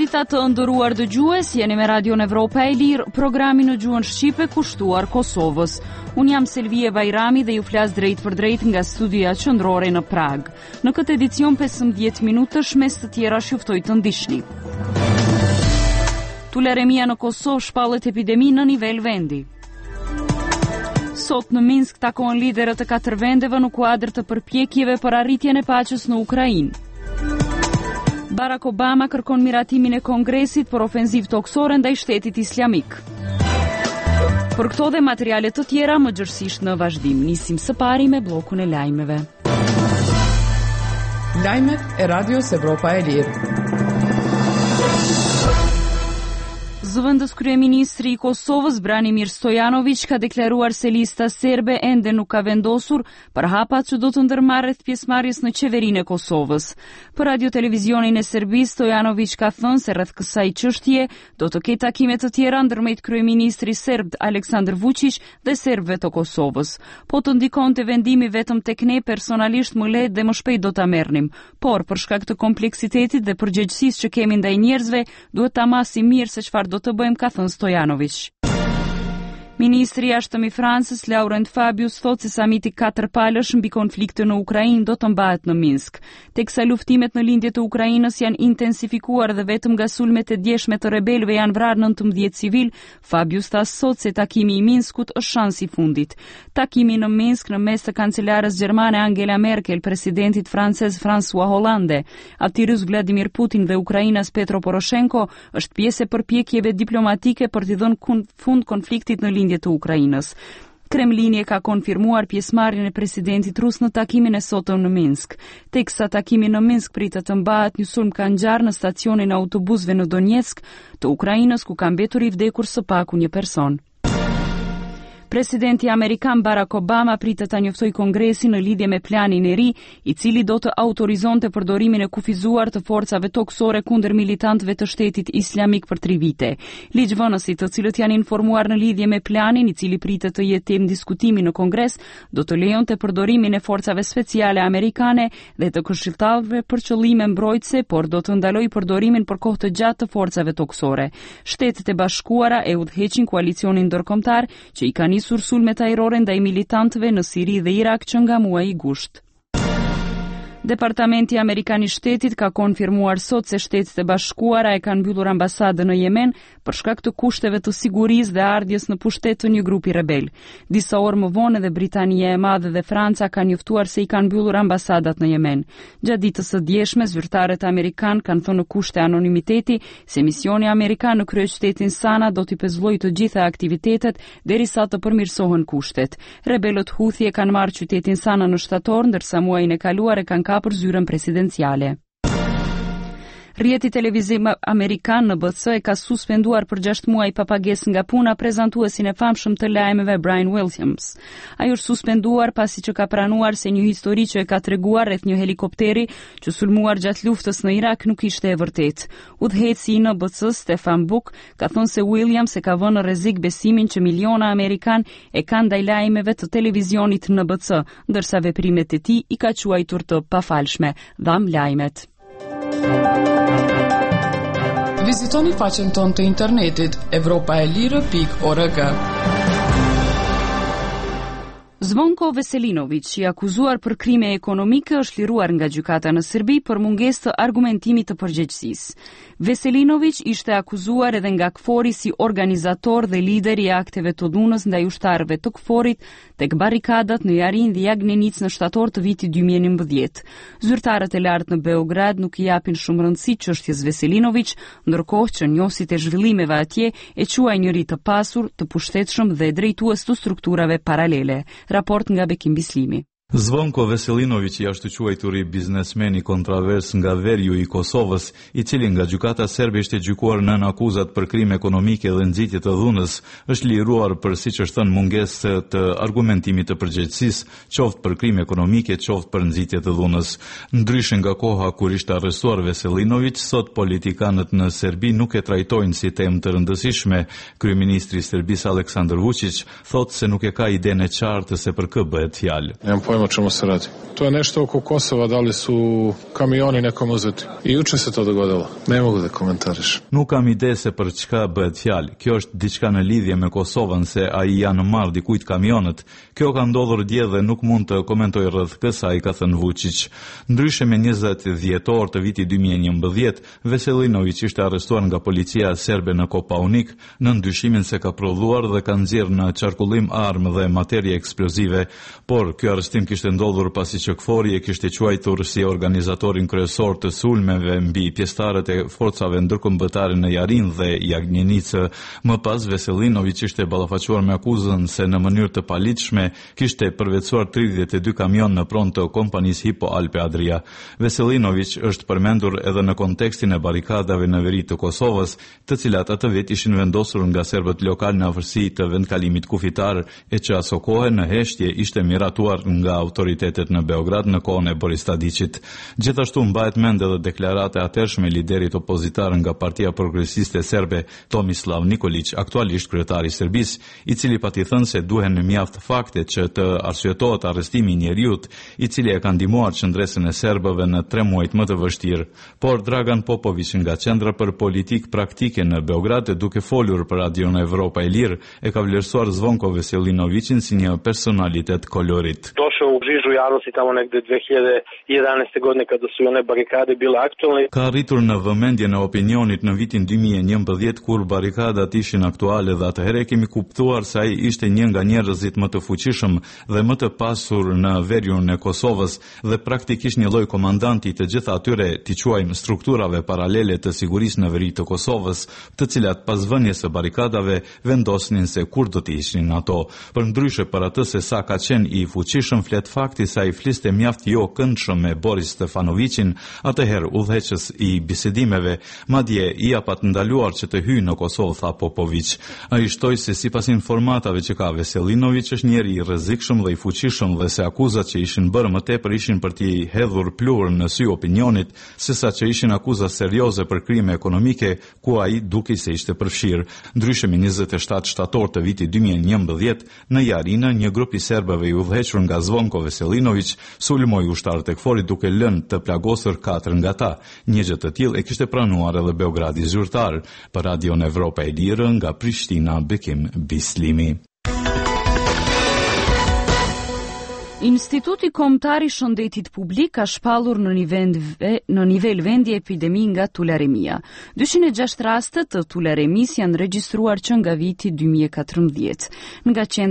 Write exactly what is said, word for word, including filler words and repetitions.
Mirëdita të nderuar dëgjues, jeni me Radion Evropa e Lirë, programi në gjuhën shqipe kushtuar Kosovës. Unë jam Selvije Bajrami dhe ju flas drejtpërdrejt nga studioja qendrore në Pragë. Në këtë edicion pesëmbëdhjetë minutësh mes të tjerash ju ftoj të ndiqni. Tularemia në Kosovë shpallet epidemi në nivel vendi. Sot në Minsk takohen liderët e katër vendeve në kuadër të përpjekjeve për arritjen e paqes në Ukrainë. Barack Obama kërkon miratimin e Kongresit për ofenzivë tokësore ndaj Shtetit Islamik. Për këto dhe materiale të tjera më gjerësisht në vazhdim, nisim së pari me bllokun e lajmeve. Lajmet e Radios Evropa e Lirë. Zëvendës kryeministri i Kosovës, Branimir Stojanović, ka deklaruar se lista serbe ende nuk ka vendosur për hapat që do të ndërmarrë rreth pjesëmarrjes në qeverinë e Kosovës. Për Radio Televizionin e Serbisë, Stojanović ka thënë se rreth kësaj çështje do të ketë takime të tjera ndërmjet kryeministri serb Aleksandar Vučić dhe serbëve të Kosovës. Po të ndikonte vendimi vetëm tek ne personalisht më lehtë dhe më shpejt do ta merrnim, por për shkak të kompleksitetit dhe përgjegjësisë që kemi ndaj njerëzve, duhet ta masim mirë se çfarë do të bëjmë, ka thënë Stojanović. Ministri i Jashtëm i Francës, Laurent Fabius, thotë se samiti katërpalësh mbi konfliktin në Ukrainë do të mbahet në Minsk. Teksa luftimet në lindje të Ukrainës janë intensifikuar dhe vetëm nga sulmet e djeshme të rebelëve janë vrarë nëntëmbëdhjetë civil, Fabius tha sot se takimi i Minskut është shansi i fundit. Takimi në Minsk në mes të kancelarës gjermane Angela Merkel, presidentit francez François Hollande, atij rus Vladimir Putin dhe ukrainas Petro Poroshenko është pjesë e përpjekjeve diplomatike për t'i dhënë fund konfliktit në lindje të Ukrainës. Kremlini e ka konfirmuar pjesëmarrjen e presidentit rus në takimin e sotëm në Minsk. Teksa takimi në Minsk pritet të mbahet, një sulm ka ngjarë në stacionin e autobusëve në Donetsk të Ukrainës, ku ka mbetur i vdekur së paku një person. Presidenti amerikan Barack Obama pritet ta njoftojë Kongresin në lidhje me planin e ri, i cili do të autorizonte përdorimin e kufizuar të forcave tokësore kundër militantëve të Shtetit Islamik për tri vite. Ligjvënësit, të cilët janë informuar në lidhje me planin, i cili pritet të jetë temë diskutimi në Kongres, do të lejonte përdorimin e forcave speciale amerikane dhe të këshilltarëve për qëllime mbrojtëse, por do të ndalojë përdorimin për kohë të gjatë të forcave tokësore. Shtetet e Bashkuara e udhëheqin koalicionin ndërkombëtar që i ka nisur sulmet ajrore ndaj militantëve në Siri dhe Irak që nga muaji gusht. Departamenti Amerikan i Shtetit ka konfirmuar sot se Shtetet e Bashkuara e kanë mbyllur ambasadën në Jemen për shkak të kushteve të sigurisë dhe ardhjes në pushtet të një grupi rebel. Disa orë më vonë edhe Britania e Madhe dhe Franca kanë njoftuar se i kanë mbyllur ambasadat në Jemen. Gjatë ditës së djeshme, zyrtarët amerikanë kanë thënë në kushte anonimiteti se misioni amerikan në kryeqytetin Sana do t'i pezullojë të gjitha aktivitetet derisa të përmirësohen kushtet. Rebelët Houthi e kanë marrë qytetin Sana në shtator, ndërsa muajin e kaluar e kanë kapur zyrën presidenciale. Rrjeti televiziv amerikan N B C e ka suspenduar për gjashtë muaj pa pagesë nga puna prezantuesin e famshëm të lajmeve Brian Williams. Ai është suspenduar pasi që ka pranuar se një histori që e ka treguar rreth një helikopteri që sulmuar gjatë luftës në Irak nuk ishte e vërtetë. Udhëheqësi i N B C, Stefan Buck, ka thënë se Williams e ka vënë në rrezik besimin që miliona amerikan e kanë ndaj lajmeve të televizionit N B C, ndërsa veprimet e tij i ka quajtur të pafalshme. Dham lajmet. Vizitoni faqen tonë të internetit evropa e lirë pikë org. Zvonko Veselinović, i akuzuar për krime ekonomike, është liruar nga gjykata në Serbi për mungesë të argumentimit të përgjegjësisë. Veselinović ishte akuzuar edhe nga KFOR-i si organizator dhe lider i akteve të dhunës ndaj ushtarëve të KFOR-it tek barrikadat në Jarin dhe Jagnenicë në shtator të vitit dy mijë e njëmbëdhjetë. Zyrtarët e lartë në Beograd nuk i japin shumë rëndësi çështjes Veselinović, ndërkohë që njohësit e zhvillimeve atje e quajnë njëri të pasur, të pushtetshëm dhe drejtues të strukturave paralele. Raport nga Bekim Bislimi. Zvonko Veselinović, i ashtuquajturi biznesmeni kontravers nga veriu i Kosovës, i cili nga gjykata serbe ishte gjykuar nën akuzat për krime ekonomike dhe nxitje të dhunës, është liruar për, siç është thënë, mungesë të argumentimit të përgjegjësisë, qoftë për krime ekonomike, qoftë për nxitje të dhunës. Ndryshe nga koha kur ishte arrestuar Veselinović, sot politikanët në Serbi nuk e trajtojnë si temë të rëndësishme. Kryeministri i Serbisë Aleksandar Vučić thotë se nuk e ka idenë e qartë se për kë bëhet fjalë. Nemam pojma pojma o čemu se radi. To je nešto oko Kosova, da li su kamioni nekom uzeti. I juče se to dogodilo. Ne mogu da komentarišem. Nuk kam ide se për çka bëhet fjalë. Kjo është diçka në lidhje me Kosovën se a i janë marrë dikujt kamionët. Kjo ka ndodhur dje dhe nuk mund të komentoj rreth kësaj, ka thënë Vučić. Ndryshe me njëzet dhjetor të vitit dy mijë e njëmbëdhjetë, Veselinović ishte arrestuar nga policia serbe në Kopaunik nën dyshimin se ka prodhuar dhe ka nxjerrë në qarkullim armë dhe materie eksplozive, por ky arrestim kishte ndodhur pasi që KFOR-i e kishte quajtur si organizatorin kryesor të sulmeve mbi pjesëtarët e forcave ndërkombëtare në Jarin dhe Jagnenicë. Më pas Veselinović ishte ballafaquar me akuzën se në mënyrë të paligjshme kishte përvetësuar tridhjetë e dy kamion në pronë të kompanisë Hipo Alpe Adria. Veselinović është përmendur edhe në kontekstin e barikadave në veri të Kosovës, të cilat atë vit ishin vendosur nga serbët lokal në afërsi të vendkalimit kufitar e që asokohe në heshtje ishte miratuar nga autoritetet në Beograd në kohën e Boris Tadićit. Gjithashtu mbahet mend edhe deklarata e atërshme e liderit opozitar nga Partia Progresiste Serbe, Tomislav Nikolić, aktualisht kryetar i Serbisë, i cili pati thënë se duhen mjaft fakte që të arsyetohet arrestimi i njeriut, i cili e ka ndihmuar qëndresën e serbëve në tre muajt më të vështirë. Por Dragan Popović nga Qendra për Politikë Praktike në Beograd, duke folur për Radion Evropa e Lirë, e ka vlerësuar Zvonko Veselinovićin si një personalitet kolorit. Došao u žižu javnosti tamo negde dve hiljade jedanaeste godine kada su i one barikade bile aktualne. Ka arritur në vëmendjen e opinionit në vitin dy mijë e njëmbëdhjetë kur barikadat ishin aktuale dhe atëherë kemi kuptuar se ai ishte një nga njerëzit më të fuqishëm dhe më të pasur në veriun e Kosovës dhe praktikisht një lloj komandanti të gjitha atyre, t'i quajmë, strukturave paralele të sigurisë në veri të Kosovës, të cilat pas vënies së barikadave vendosnin se kur do të ishin ato. Përndryshe, për atë se sa ka qenë i fuqishëm flet fakti se ai fliste mjaft jo këndshëm me Boris Stefanovićin, atëherë udhëheqës i bisedimeve, madje i apat ndaluar që të hyjë në Kosovë, tha Popović. Ai shtoi se sipas informatave që ka Veselinović është njeri i rrezikshëm dhe i fuqishëm dhe se akuzat që ishin bërë më tepër ishin për t'i hedhur pluhur në sy opinionit, sesa që ishin akuza serioze për krime ekonomike ku ai dukej se ishte përfshirë. Ndryshe me njëzet e shtatë shtator të vitit dy mijë e njëmbëdhjetë, në Jarinë, një grup i serbëve i udhëhequr nga Zvonko Veselinović sulmoi ushtarët e KFOR-it duke lënë të plagosur katër nga ta. Një gjë të tillë e kishte pranuar edhe Beogradi zyrtar. Për Radion Evropa e Lirë nga Prishtina, Bekim Bislimi. Instituti Kombëtar i Shëndetit Publik ka shpallur në nivel ve-, në nivel vendi epidemi nga tularemia. dyqind e gjashtë raste të tularemisë janë regjistruar që nga viti dy mijë e katërmbëdhjetë. Nga qendra